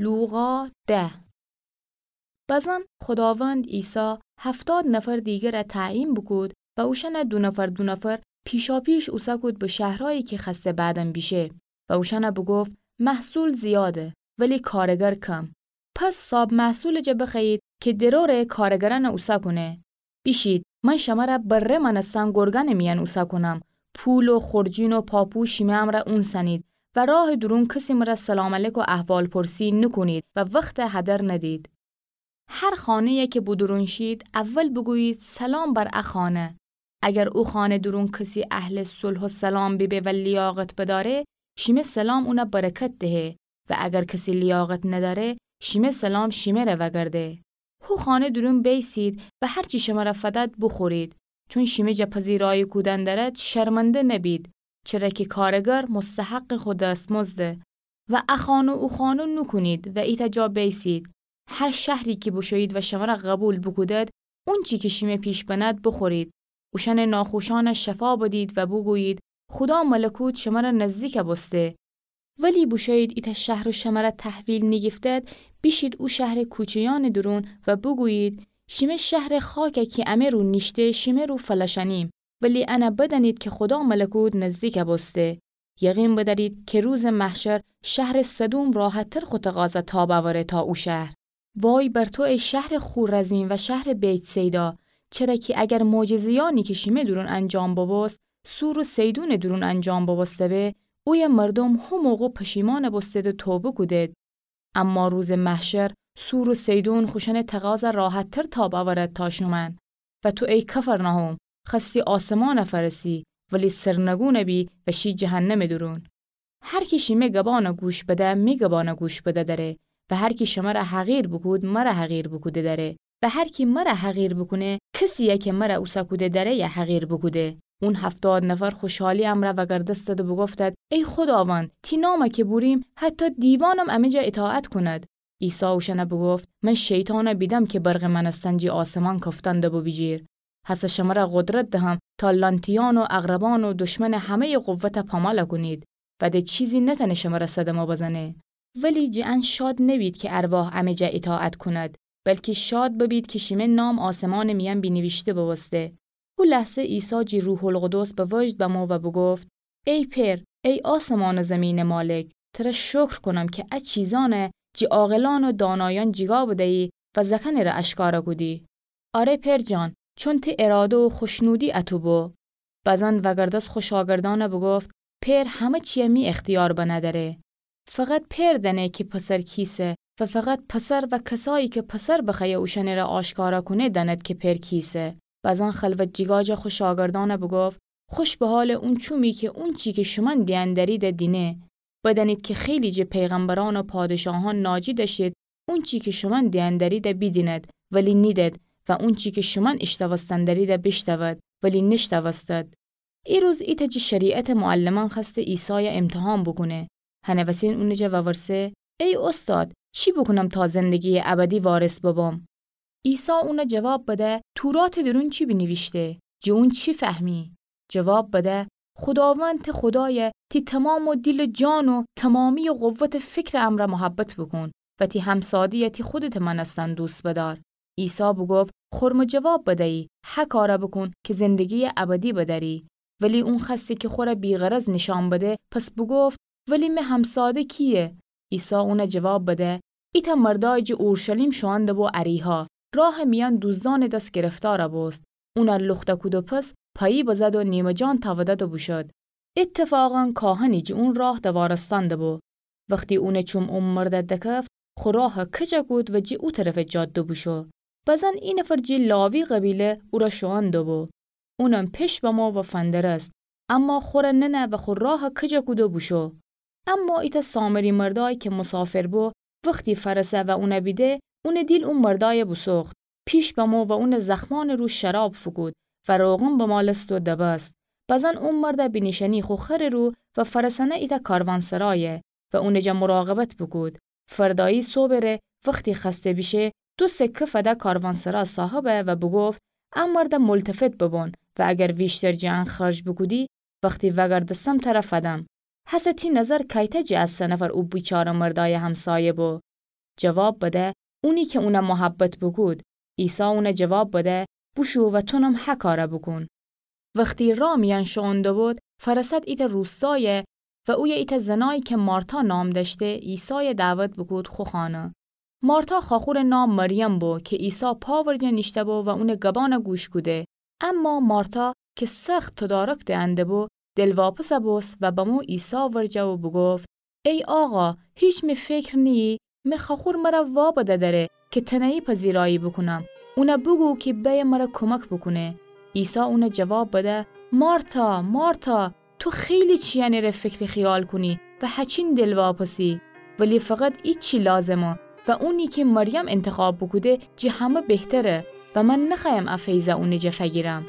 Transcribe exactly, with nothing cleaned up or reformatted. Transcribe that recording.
لوقا ده. بزن خوداوند عیسی هفتاد نفر دیگره تعیین بوکود و اوشأنه دو نفر دو نفر پیشاپیش اوسکود به شهرایی کی خوأسته بعدم بیشه و اوشأنه بوگفت: محصول زیاده، ولی کارگر کم. پس صاب محصولٚ جا بخوأیید کی درورٚ کارگرأنه اوسکونه. بیشید، من شمره بره مأنستن گرگأنٚ میأن اوسکونم. پول و خورجین و پاپو شیمه امرأ اونسنید و راهٚ دورون کسی مره سلام علیک و احوالپرسی نوکونید و وختٚ هدر ندید. هر خانه‌یی کی به دورون شید، اول بوگویید: سلام بر ا خانه. اگر او خانه دورون کسی اهلٚ صلح و سلام بیبه و لیاقت بدأره، شیمه سلام اونه برکت دهه و اگر کسی لیاقت ندأره، شیمه سلام شیمه‌ره وگرده. هو خانه دورون بیسید و هر چی شمره فدد بوخورید، چون شیمه جا پذیرایی کودن دأرد، شرمنده نبید، چره کی کارگر مستحقٚ خو دستمزده. و ا خانه او خانه نوکونید و ایتأ جا بیسید. هر شهری کی بوشویید و شمره قبول بوکودد، اونچی کی شیمه پیش بند بوخورید. اوشأنٚ ناخوشأنه شفا بدید و بوگویید: خودا ملکوت شمره نزدیک بوسته. ولی بوشویید ایتأ شهر شمره تحویل نیگیفتد، بیشید او شهرٚ کوچه‌یأنٚ دورون و بوگویید: شیمه شهرٚ خاکه کی امه رو نیشته، شیمه رو فلشأنیم. ولی انه بدأنید کی خودا ملکوت نزدیک بوسته. یقین بدأرید کی روزٚ محشر شهرٚ سدوم راحت‌تر خو تقاضا تاب اوره تا او شهر. وای بر تو ای شهرٚ خورزین و شهرٚ بیت‌صیدا، چره کی اگر معجزه‌یأنی کی شیمه دورون انجام ببوست، صور و صیدونٚ دورون انجام ببوسته به، اویه مردوم هو موقع پشیمان بوستد و توبه کودد. اما روزٚ محشر صور و صیدون خوشأنٚ تقاضا راحت‌تر تاب اورد تا شومأن. و تو ای کفرناحوم، خوأستی آسمانه فرسی، ولی سرنگون بی و شی جهنمٚ دورون. هر کی شیمه گبانه گوش بده، می گبانه گوش بده دأره، و هر کی شمره حقیر بوکود، مره حقیر بوکوده دأره، و هر کی مره حقیر بوکونه، کسیی کی مره اوسکوده دأره یه حقیر بوکوده. اون هفتاد نفر خوشحالی امرأ وگردستد و بوگفتد: ای خوداوند، تی نامه کی بوریم، حتی دیوانم امه جا اطاعت کوند. عیسی اوشأنه بوگفت: من شیطانه بیدم کی برقٚ مأنستن جی آسمان کفتن دبو بیجیر. هسه شمره قدرت دهم تا لانتیأن و عقربأن و دشمنٚ همه‌یٚ قوته پامال کونید و ده چیزی نتأنه شمره صدمه بزنه. ولی جٚه ان شاد نبید کی ارواح امه جا اطاعت کوند، بلکی شاد ببید کی شیمه نام آسمانٚ میأن بینیویشته بوسته. هو لحظه عیسی جی روح‌القدس به وجد بمو و بوگفت: ای پئر، ای آسمان و زیمینٚ مالک، تره شکر کونم کی ا چیزأنه جٚه عاقلأن و دانایأن جیگا بدیی و زأکأنٚ ره آشکارا کودی. آره پئر جان، چون تی اراده و خوشنودی اتو بو. بزن وگردس خو شاگردأنه بوگفت: پئر همه چیه می اختیار بنه دأره. فقط پئر دأنه کی پسر کیسه و فقط پسر و کسایی کی پسر بخوأیه اوشأنٚ ره آشکارا کونه دأند کی پئر کیسه. بزن خلوت جیگا جا خو شاگردأنه بوگفت: خوش به حالٚ اون چومی کی اونچی کی شومأن دیأن دأریده دینه. بدأنید کی خیلی جٚه پیغمبرأن و پادشاهأن ناجی دأشتید اونچی کی شومأن دیأن دأریده بیدیند ولی نیدید و اونچی کی شومأن ایشتوستن دأریده بیشتود ولی نیشتوستید. ایروز ایتأ جٚه شریعتٚ معلمأن خوأسته عیسایه امتحان بوکونه. هنٚ وسین اونٚ جا وورسه: ای اوستاد، چی بوکونم تا زندگیٚ ابدی وارث ببم؟ عیسی اونه جواب بده: توراتٚ دورون چی بینیویشته؟ جٚه اون چی فهمی؟ جواب بده: خوداوند تی خودایه تی تومامٚ دیل و جان و تومامیٚ قوتٚ فکرٚ امرأ محبت بوکون و تی همساده‌یه تی خودتٚ مأنستن دوست بدأر. عیسی بوگفت: خرمٚ جواب بدیی، هه کاره بوکون کی زندگیٚ ابدی بدأری. ولی اون خوأسته کی خوره بی‌غرض نیشأن بده، پس بوگفت: ولی مه همساده کییه؟ عیسی اونه جواب بده: ایتأ مردای جٚه اورشلیم شوئن دبو اریحا، راهٚ میأن دوزدأنٚ دس گرفتار بوست. اونه لوخته کودو پس پایی بزد و نیمه جان تأودد و بوشد. اتفاقا کاهنی جٚه اون راه دوارستن دبو. وختی اونٚ چوم او مرده دکفت، خو راه کج کود و جٚه او طرفٚ جاده بوشو. بزن ای نفر جٚه لاوی قبیله اوره شوئن دبو. اونم پیش بمو و فندرست، اما خوره ننه و خو راه کج کودو بوشو. اما ایتأ سامری مردای کی مسافر بو، وختی فأرسه و اونه بیده، اونٚ دیل او مردای بوسوخت. پیش بمو و اونٚ زخمأنٚ رو شراب فوکود و روغن بمالست و دبست. بزن او مرده بینیشأنی خو خرٚ رو و فأرسأنه ایتأ کاروانسرایه و اونٚ جا مراقبت بوکود. فردایی صوبٚ ره وختی خوأسته بیشه، دو سکه فده کاروانسرا صاحبه و بوگفت: ا مرده ملتفت ببون و اگر ویشتر جٚه ان خرج بوکودی، وختی وأگردستم تره فدم. هسه تی نظر کیته جٚه ا سه نفر او بیچاره مردای همسایه بو؟ جواب بده: اونی کی اونه محبت بوکود. عیسی اونه جواب بده: بوشو و تونم هه کاره بوکون. وختی راه میأن شوئون دوبود، فرست ایتأ روستایه و اویه ایتأ زنایی کی مارتا نام دأشته، عیسای دعوت بوکود خو خانه. مارتا خاخورٚ نام مریم بو کی عیسی پا ورجه نیشته‌بو و اونٚ گبأنه گوش کوده. اما مارتا کی سخت تدارک دئنده‌بو، دلواپسه بوست و بمو عیسی ورجه و بوگفت: ای آقا، هیچ می فکر نییی می خاخور مره وابده دأره کی تنهایی پذیرایی بوکونم؟ اونه بوگو کی بأیه مره کمک بوکونه. عیسی اونه جواب بده: مارتا، مارتا، تو خیلی چیأنٚ‌ره فکر خیال کونی و هچین دلواپسی، ولی فقط ایچی لازمه و اونی کی مریم انتخاب بوکوده جٚه همه بهتره و من نخوأیم ا فیضه اونٚ جٚه فگیرم.